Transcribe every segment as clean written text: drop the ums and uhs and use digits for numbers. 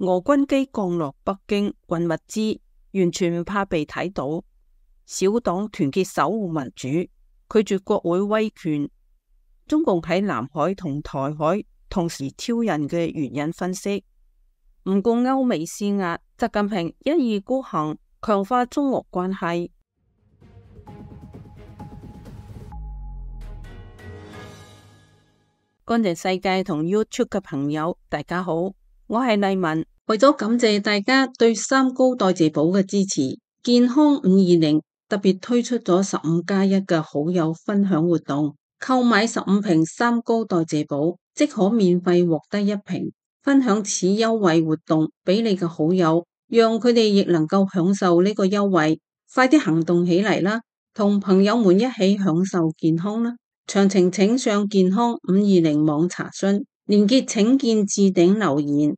俄軍機降落北京運物資，完全唔怕被睇到。小黨團結守護民主，拒絕國會威權。中共喺南海同台海同時挑釁嘅原因分析，唔顧歐美施壓，習近平一意孤行，強化中俄關係。乾淨世界同 YouTube 嘅朋友，大家好，我係麗文。為咗感謝大家對三高代謝寶嘅支持，健康520特別推出咗15+1嘅好友分享活動，購買15瓶三高代謝寶，即可免費獲得1瓶。分享此優惠活動俾你嘅好友，讓佢哋亦能夠享受呢個優惠。快啲行動起嚟啦，同朋友們一起享受健康啦！詳情請上健康520網查詢，連結請見置頂留言。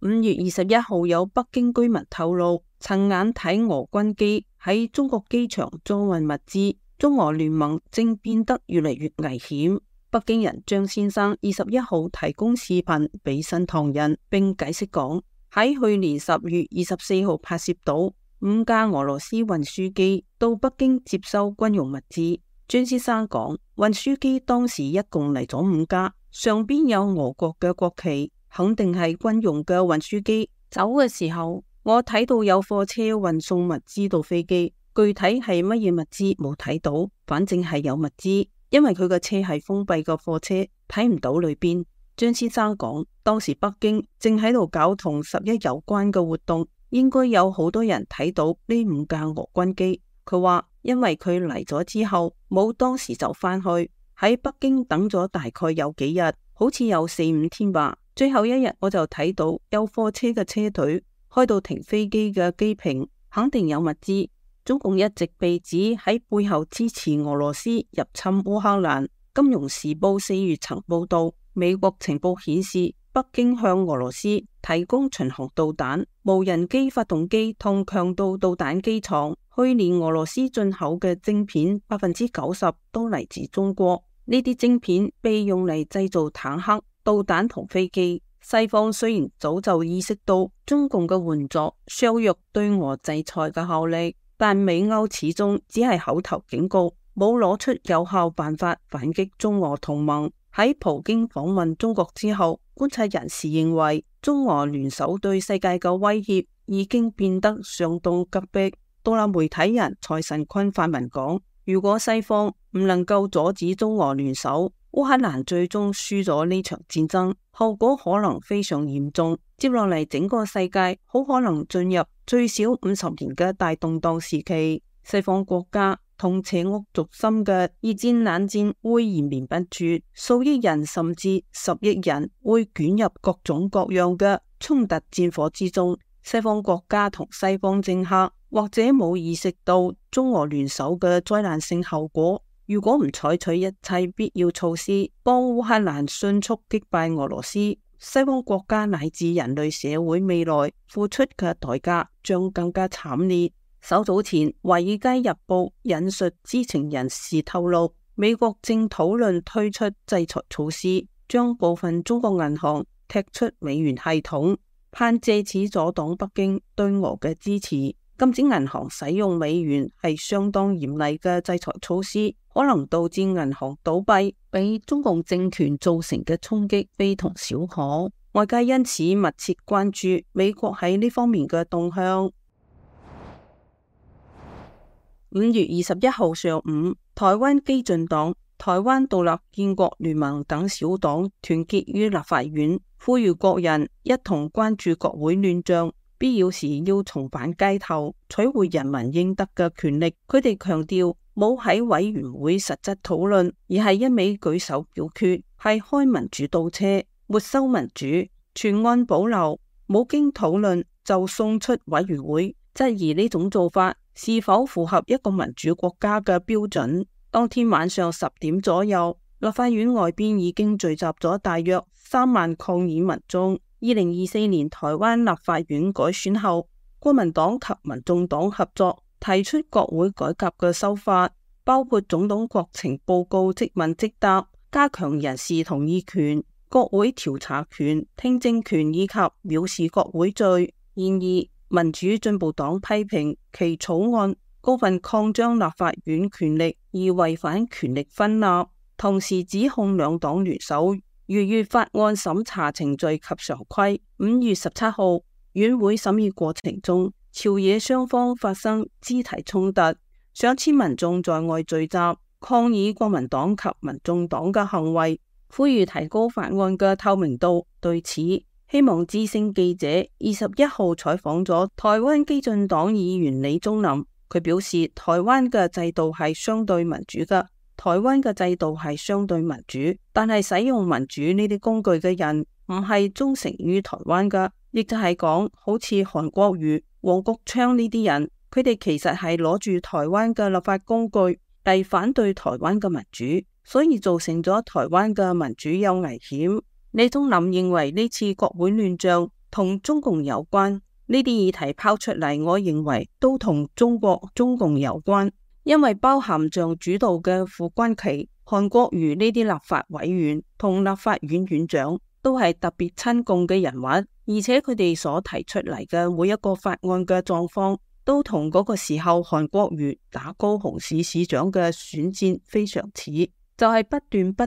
5月21號，有北京居民透露，親眼睇俄軍機喺中國機場裝運物資，中俄聯盟正變得越嚟越危險。北京人張先生21號提供視頻俾新唐人，並解釋講，喺去年10月24號拍攝到5架俄羅斯運輸機到北京接收軍用物資。張先生講，運輸機當時一共嚟咗5架，上邊有俄國嘅國旗，肯定係軍用嘅運輸機。走嘅時候，我睇到有貨車運送物資到飛機，具體係乜嘢物資冇睇到，反正係有物資，因為佢個車係封閉嘅貨車，睇唔到裏邊。張先生講，當時北京正喺度搞同11有關嘅活動，應該有好多人睇到呢5架俄軍機。佢話因為佢嚟咗之後冇當時就返去，喺北京等咗大概有幾日，好似有4-5天吧。最後一日我就睇到有貨車嘅車隊開到停飛機嘅機坪，肯定有物資。中共一直被指喺背後支持俄羅斯入侵烏克蘭。金融時報4月曾報道，美國情報顯示北京向俄羅斯提供巡航導彈、無人機發動機同強導導彈機床。去年俄羅斯進口嘅晶片90%都嚟自中國，呢啲晶片被用嚟製造坦克、導彈同飛機。西方雖然早就意識到中共嘅援助削弱對俄制裁嘅效力，但美歐始終只係口頭警告，冇攞出有效辦法反擊中俄同盟。喺普京訪問中國之後，觀察人士認為中俄聯手對世界嘅威脅已經變得相當急迫。獨立媒體人蔡慎坤發文講，如果西方唔能夠阻止中俄聯手，烏克蘭最終輸咗呢場戰爭，後果可能非常嚴重。接落嚟整個世界好可能進入最少50年嘅大動盪時期。西方國家同邪惡軸心嘅二戰冷戰會延綿不絕，數億人甚至10億人會捲入各種各樣嘅衝突戰火之中。西方國家同西方政客或者冇意識到中俄聯手嘅災難性後果。如果唔採取一切必要措施，幫烏克蘭迅速擊敗俄羅斯，西方國家乃至人類社會未來付出嘅代價將更加慘烈。稍早前，《華爾街日報》引述知情人士透露，美國正討論推出制裁措施，將部分中國銀行踢出美元系統，盼借此阻擋北京對俄嘅支持。禁止銀行使用美元係相當嚴厲嘅制裁措施，可能導致銀行倒閉，俾中共政權造成嘅衝擊非同小可。外界因此密切關注美國喺呢方面嘅動向。5月21號上午，台灣基進黨、台灣獨立建國聯盟等小黨團結於立法院，呼籲國人一同關注國會亂象，必要時要重返街頭，取回人民應得嘅權力。佢哋強調，冇喺委員會實質討論，而係一味舉手表決，係開民主倒車，沒收民主，全案保留，冇經討論就送出委員會，質疑呢種做法是否符合一個民主國家嘅標準。當天晚上10點左右，立法院外邊已經聚集咗大約3萬抗議民眾。2024年台灣立法院改選後，國民黨及民眾黨合作提出國會改革嘅修法，包括總統國情報告即問即答，加強人事同意權，國會調查權、聽證權以及藐視國會罪。然而，民主進步黨批評其草案過分擴張立法院權力而違反權力分立，同時指控兩黨聯手逾越法案審查程序及常規。5月17號，院會審議過程中，朝野雙方發生肢體衝突，上千民眾在外聚集抗議國民黨及民眾黨嘅行為，呼籲提高法案嘅透明度。對此，希望之聲記者21號採訪咗台灣基進黨議員李宗霖，佢表示台灣嘅制度係相對民主嘅，但係使用民主呢啲工具嘅人唔係忠誠於台灣嘅，亦就係講好似韓國瑜、黃國昌呢啲人，佢哋其實係攞住台灣嘅立法工具嚟反對台灣嘅民主，所以造成咗台灣嘅民主有危險。李宗霖認為呢次國會亂象同中共有關，呢啲議題拋出嚟，我認為都同中共有關，因為包含像主導嘅傅崐萁、韓國瑜呢啲立法委員同立法院院長都係特別親共嘅人物，而且佢哋所提出嚟嘅每一個法案嘅狀況都同嗰個時候韓國瑜打高雄市市長嘅選戰非常似，就係不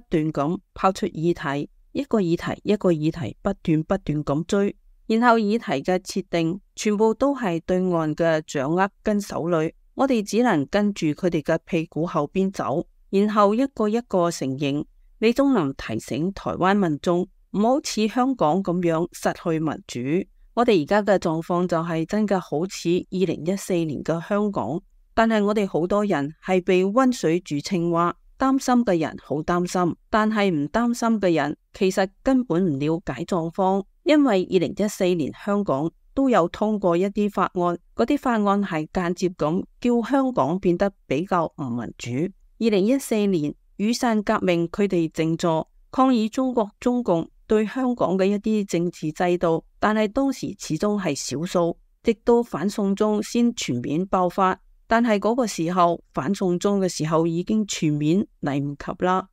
斷咁拋出議題，一個議題不斷咁追，然後議題嘅設定全部都係對岸嘅掌握跟手裏，我哋只能跟住佢哋嘅屁股後邊走，然後一個一個承認。李宗霖提醒台灣民眾唔好似香港咁樣失去民主，我哋而家嘅狀況就係真嘅好似2014年嘅香港，但係我哋好多人係被溫水煮青蛙。擔心嘅人好擔心，但係唔擔心嘅人其實根本唔了解狀況，因為2014年香港都有通過一啲法案，嗰啲法案係間接咁叫香港變得比較唔民主。2014年雨傘革命，佢哋靜坐抗議中共對香港嘅一啲政治制度，但係當時始終係少數，直到反送中先全面爆發。但係嗰個時候，反送中嘅時候已經全面嚟唔及啦。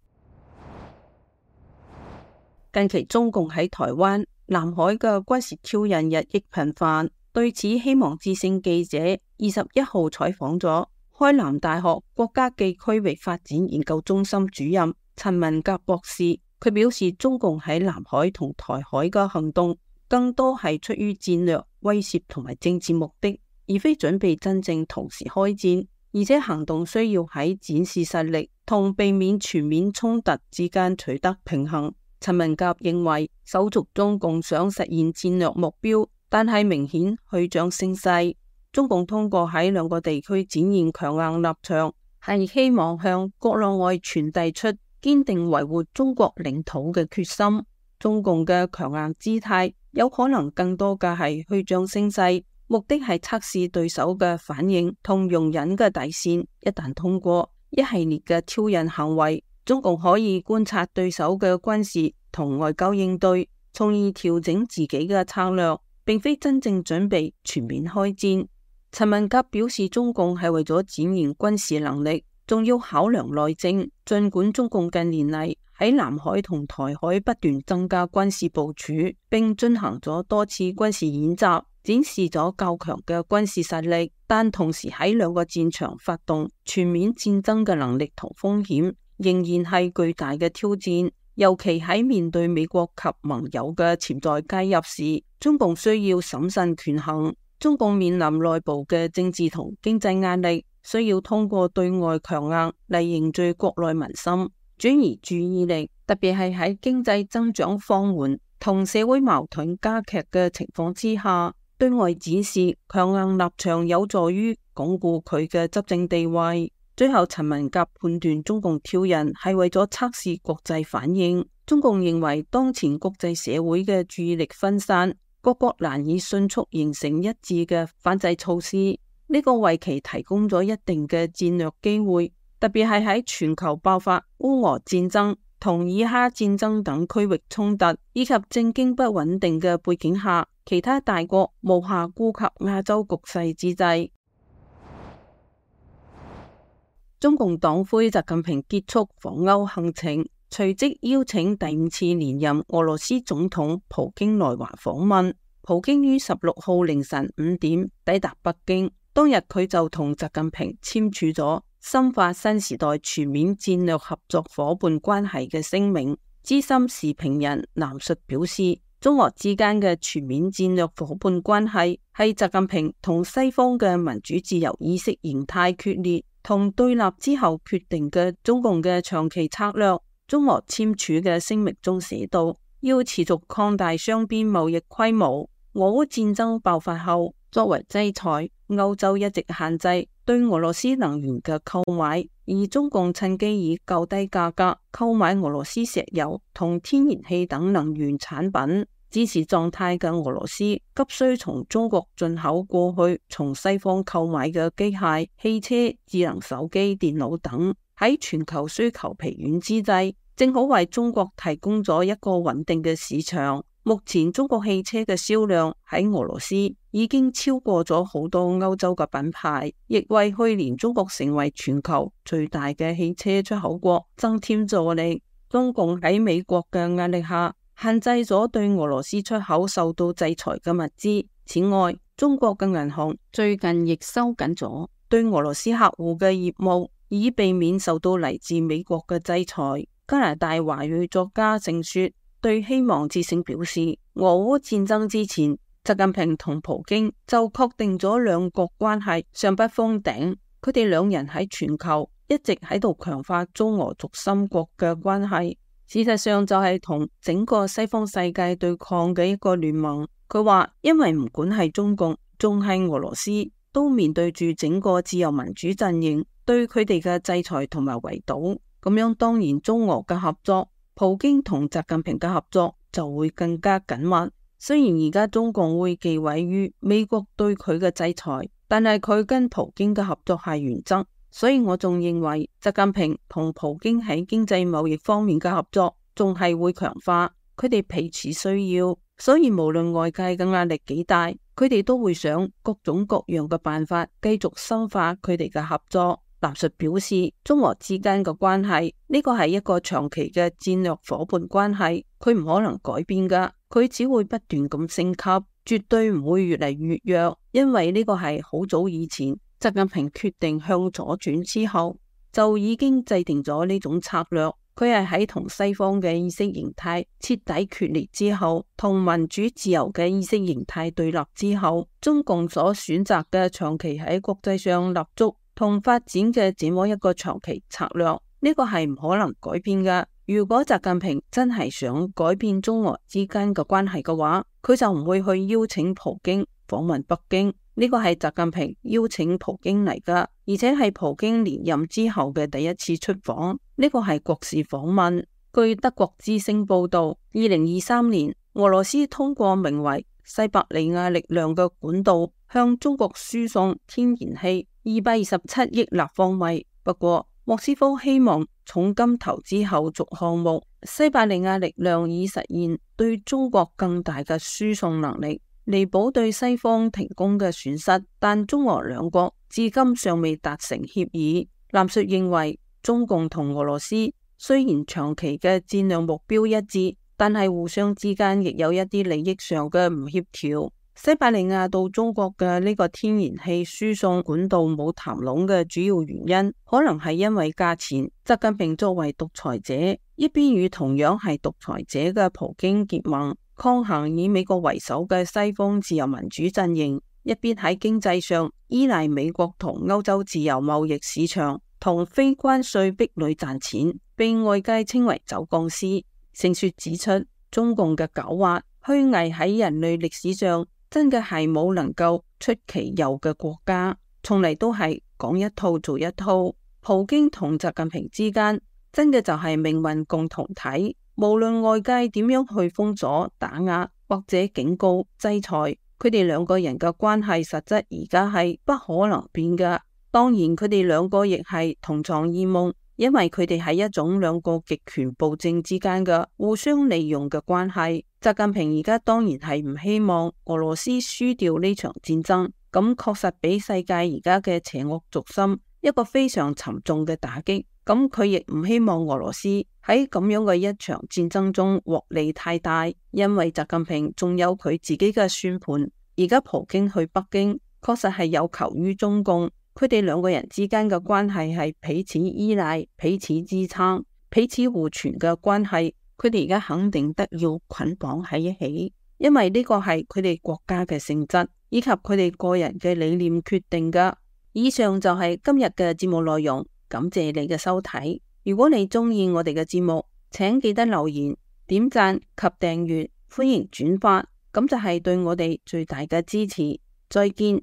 近期中共喺台灣、南海嘅軍事挑釁日益頻繁，對此希望之聲記者21號採訪咗開南大學國家暨區域發展研究中心主任陳文甲博士，佢表示中共喺南海同台海嘅行動更多係出於戰略威懾同埋政治目的，而非準備真正同時開戰，而且行動需要喺展示實力同避免全面衝突之間取得平衡。陳文甲認為，手續中共想實現戰略目標，但係明顯虛張聲勢。中共通過喺兩個地區展現強硬立場，係希望向國內外傳遞出堅定維護中國領土嘅決心。中共嘅強硬姿態有可能更多嘅係虛張聲勢，目的係測試對手嘅反應同容忍嘅底線。一旦通過一系列嘅挑釁行為，中共可以觀察對手嘅軍事同外交應對，從而調整自己嘅策略，並非真正準備全面開戰。陳文甲表示，中共係為咗展現軍事能力，仲要考量內政。儘管中共近年嚟喺南海同台海不斷增加軍事部署，並進行咗多次軍事演習，展示咗較強嘅軍事實力，但同時喺兩個戰場發動全面戰爭嘅能力同風險仍然係巨大嘅挑戰。尤其喺面對美國及盟友嘅潛在介入時，中共需要審慎權衡。中共面臨內部嘅政治同經濟壓力，需要通過對外強硬嚟凝聚國內民心，轉移注意力，特別係喺經濟增長放緩同社會矛盾加劇嘅情況之下，對外展示強硬立場有助於鞏固佢嘅執政地位。最後，陳文甲判斷中共挑釁係為咗測試國際反應。中共認為當前國際社會嘅注意力分散，各國難以迅速形成一致嘅反制措施，呢個為其提供咗一定嘅戰略機會，特別係喺全球爆發烏俄戰爭同以哈戰爭等區域衝突以及政經不穩定嘅背景下，其他大國無暇顧及亞洲局勢之際。中共黨魁習近平結束訪歐行程，隨即邀請第5次連任俄羅斯總統普京來華訪問。普京於16號凌晨5點抵達北京，當日佢就同習近平簽署咗深化新時代全面戰略合作夥伴關係嘅聲明。資深時評人藍述表示，中俄之間嘅全面戰略夥伴關係係習近平同西方嘅民主自由意識形態決裂同對立之後決定嘅中共嘅長期策略。中俄簽署嘅聲明中寫道，要持續擴大雙邊貿易規模。俄烏戰爭爆發後，作為制裁，歐洲一直限制對俄羅斯能源嘅購買，而中共趁機以較低價格購買俄羅斯石油同天然氣等能源產品。支持狀態嘅俄羅斯急需從中國進口過去從西方購買嘅機械、汽車、智能手機、電腦等，喺全球需求疲軟之際，正好為中國提供咗一個穩定嘅市場。目前中國汽車嘅銷量喺俄羅斯已經超過咗好多歐洲嘅品牌，亦為去年中國成為全球最大嘅汽車出口國增添助力。中共喺美國嘅壓力下，限制咗對俄羅斯出口受到制裁嘅物資。此外，中國嘅銀行最近亦收緊咗對俄羅斯客戶嘅業務，以避免受到嚟自美國嘅制裁。加拿大華裔作家盛雪對希望之聲表示，俄烏戰爭之前，習近平同普京就確定咗兩國關係尚不封頂。佢哋兩人喺全球一直喺度強化中俄軸心國嘅關係，事實上就係同整個西方世界對抗嘅一個聯盟。佢話，因為唔管係中共仲係俄羅斯，都面對住整個自由民主陣營對佢哋嘅制裁同埋圍堵，咁樣當然中俄嘅合作，普京同習近平嘅合作就會更加緊密。雖然而家中共會忌諱於美國對佢嘅制裁，但係佢跟普京嘅合作係原則，所以我仲認為習近平同普京喺經濟貿易方面嘅合作仲係會強化，佢哋彼此需要，所以無論外界嘅壓力幾大，佢哋都會想各種各樣嘅辦法繼續深化佢哋嘅合作。藍述表示，中俄之間嘅關係呢個係一個長期嘅戰略夥伴關係，佢唔可能改變噶，佢只會不斷咁升級，絕對唔會越嚟越弱，因為呢個係好早以前習近平決定向左轉之後就已經制定咗呢種策略。佢係喺同西方嘅意識形態徹底決裂之後，同民主自由嘅意識形態對立之後，中共所選擇嘅長期喺國際上立足同發展嘅這麼一個長期策略，呢個係唔可能改變噶。如果習近平真係想改變中俄之間嘅關係嘅話，佢就唔會去邀請普京訪問北京。呢個係習近平邀請普京嚟噶，而且係普京連任之後嘅第一次出訪。呢個係國事訪問。據德國之聲報道，2023年俄羅斯通過名為西伯利亞力量嘅管道向中國輸送天然氣227億立方米。不過莫斯科希望重金投資後續項目，西伯利亞力量已實現對中國更大嘅輸送能力，彌補對西方停工嘅損失。但中俄兩國至今尚未達成協議。藍述認為，中共同俄羅斯雖然長期嘅戰略目標一致，但係互相之間亦有一啲利益上嘅唔協調。西伯利亞到中國嘅呢個天然氣輸送管道冇談攏嘅主要原因，可能係因為價錢。習近平作為獨裁者，一邊與同樣係獨裁者嘅普京結盟，抗衡以美國為首嘅西方自由民主陣營；一邊喺經濟上依賴美國同歐洲自由貿易市場同非關稅壁壘賺錢，被外界稱為走鋼絲。盛雪指出，中共嘅狡猾虛偽喺人類歷史上真嘅係冇能夠出其右嘅國家，從嚟都係講一套做一套。普京同習近平之間真嘅就係命運共同體，無論外界點樣去封鎖、打壓或者警告、制裁，佢哋兩個人嘅關係實質而家係不可能變噶。當然佢哋兩個亦係同床異夢，因為佢哋係一種兩個極權暴政之間嘅互相利用嘅關係。習近平而家當然係唔希望俄羅斯輸掉呢場戰爭，咁確實俾世界而家嘅邪惡軸心一個非常沉重嘅打擊。咁佢亦唔希望俄羅斯喺咁樣嘅一場戰爭中獲利太大，因為習近平仲有佢自己嘅算盤。而家普京去北京，確實係有求於中共，佢哋兩個人之間嘅關係係彼此依賴、彼此支撐、彼此互傳嘅關係。佢哋而家肯定得要捆綁喺一起，因為呢個係佢哋國家嘅性質，以及佢哋個人嘅理念決定㗎。以上就係今日嘅節目內容。感謝你嘅收睇。如果你鍾意我哋嘅節目，請記得留言、點讚及訂閱，歡迎轉發，咁就係對我哋最大嘅支持。再見。